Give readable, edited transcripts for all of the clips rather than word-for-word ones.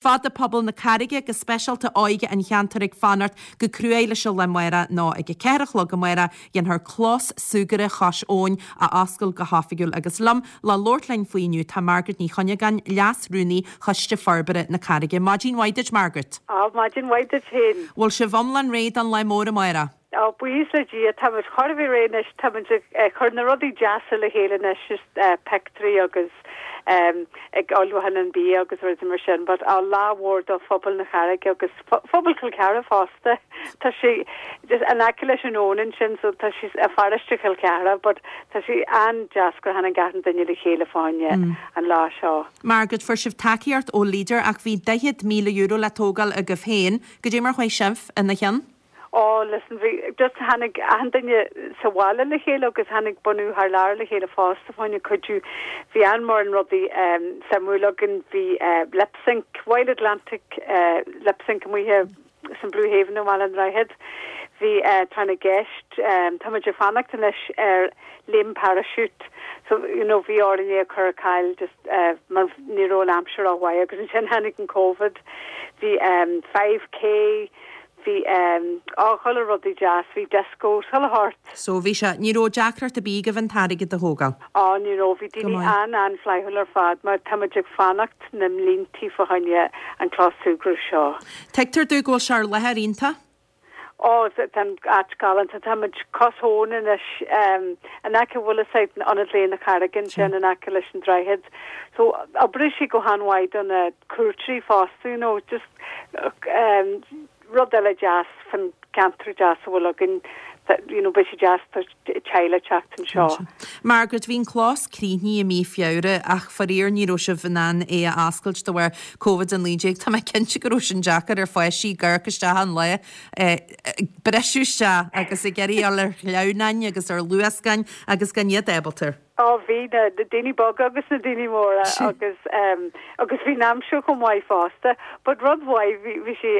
Fad tá pobal na Carraige, go speisialta óige an cheantair ag fanacht go cruaidh leis an lá amárach nó ag a 4 a chlog amárach dhéanfar clós súgartha Chois Abhann a oscailt go hoifigiúil agus liom le labhairt linn faoi inniu tá Margaret Ní Chuinneagáin, Leas-Rúnaí Choiste Forbartha na Carraige. Maidin mhaith duit Margaret. Á, maidin mhaith duit féin. Bhfuil sibh iomlán réidh don lá mór amárach? Á, buíochas le Dia, táimid chóir a bheith réidh anois, táimid ag cur na rudaí deasa le chéile anois, just pictiúirí agus ag ullmhúchán an bia agus rudaí mar sin, but á, lá mhór do phobal na Carraige agus phobal Chill Chartha fosta. Tá sé just in aice leis an abhainn ansin so tá sé i pharóiste Chill Chartha but tá sé an-deas gur tháinig achan duine le chéile fá choinne an lá seo. Margaret, fuair sibh tacaíocht ó Leader ach bhí €40,000 le tógáil agaibh féin, goidé mar chuaigh sibh ina chionn? Oh listen, bhí, just tháinig achan duine sa bhaile le chéile agus tháinig bunú thar lear le chéile fosta fá choinne cuidiú. Bhí an-mhórán rudaí suimiúil againn, bhí lip sync, Wild Atlantic lip sync amuigh san Blue Haven i mBaile an Droichid. Bhí tráth na gceist, táimid ag fanacht anois ar léim parachute so you know bhí orainn é a chur ar ceal just mar ní raibh an aimsir rómhaith agus ansin tháinig an Covid. Bhí 5K, Bhí á, chuile rudaí deas, bhí disco, chuile shórt. So bhí sé, ní raibh deacracht ar bith agaibh an t-airgead a thógáil? Á, ní raibh, bhí daoine an-an-fhlaithiúil ar fad mar táimid ag fanacht na mbliantaí fá choinne an clós súgradh seo. Tuigtear domh go bhfuil sé ar láthair iontach? Á, tá an áit galánta, táimid cois abhann anois, in aice bhfuil fhios a'd, Ionad Lae na Carraige ansin in aice leis an droichead. So, oibreoidh sé go han-mhaith do na cuairteoirí fosta, you know, just rud eile deas fan ceantar deas a bhfuil againn, you know, beidh sé deas do teaghlaigh teacht anseo. Margaret, bhí an clós críochnaithe i mí Feabhra ach faraor ní raibh sibh in ann é a oscailt de bharr Covid-19. Tá mé cinnte go raibh sin deacair ar pháistí ag amharc isteach an lá, ag briseadh isteach agus ag iarraidh a dhul ar shleamhnáin agus ar luascáin agus gan iad ábalta. Á bhí, na daoine beaga agus na daoine móra agus agus bhí an aimsir chomh maith fosta. But rud mhaith, bhí bhí sé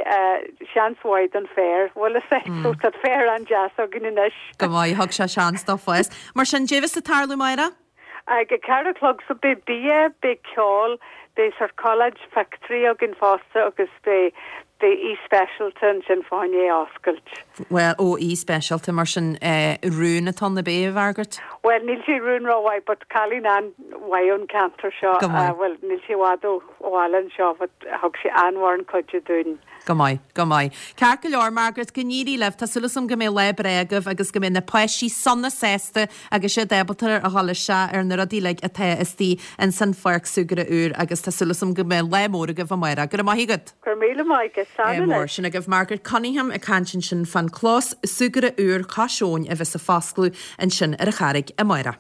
seans mhaith don féar, bhfuil fhios a'd, so tá féar an-deas againn anois. Go maith, thug sé seans dó fás. Mar sin, goidé bheas ag tarlú amárach? Ag a ceathair a chlog, so beidh bia, beidh ceol, beidh sort collage pictiúirí againn fosta agus beidh Beidh aoi speisialta ansin fá choinne é a oscailt. Bhuel, ó, aoi speisialta, mar sin, rún atá ann ab é, a Mhargaret? Bhuel, níl sé rún rómhaith, but cailín an-mhaith ón ceantar seo, Go maith. bhuel, níl sí i bhfad ó bhaile anseo, but thug sí an-mhórán cuidiú dúinn. Go maith, go maith. Ceart go leor, Margaret, go n-éirí libh. Tá súil agam go mbeidh lá breá agaibh agus go mbeidh na páistí sona sásta agus iad ábalta a dhul isteach ar na rudaí uilig atá istigh ins an pháirc súgartha úr agus tá súil agam go mbeidh lá mór agaibh amárach. Go raibh maith agat. Go raibh míle maith agat. Slán Mór. anois. Sin agaibh Margaret Cunningham ag caint ansin fán clós súgartha úr cois abhann a bheas ag foscladh ansin ar an Charraig amárach.